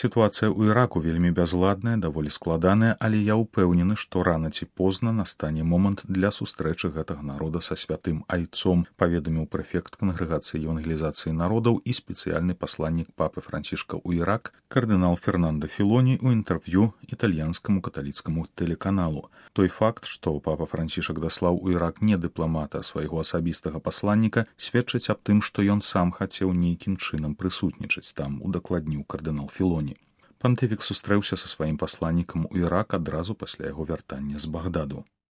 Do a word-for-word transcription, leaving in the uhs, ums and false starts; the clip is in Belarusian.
Сітуацыя ў Іраку вельмі бязладная, даволі складаная, але я ўпэўнены, што рана ці позна настане момант для сустрэчы гэтага народа са святым айцом, паведаміў прэфект Кангрэгацыі евангелізацыі народаў і спецыяльны пасланнік папы Францішка ў Ірак кардынал Фернандо Філоні ў інтэрв'ю італьянскаму каталіцкаму тэлеканалу. Той факт, што папа Францішак даслаў у Ірак не дыпламата, а свайго асабістага пасланніка, сведчыць аб тым, што ён сам хацеў нейкім чынам прысутнічаць там, удакладніў кардынал Філоні. Пантыфік сустрэўся са сваім пасланнікам у Ірак адразу пасля яго вяртання з Багдаду.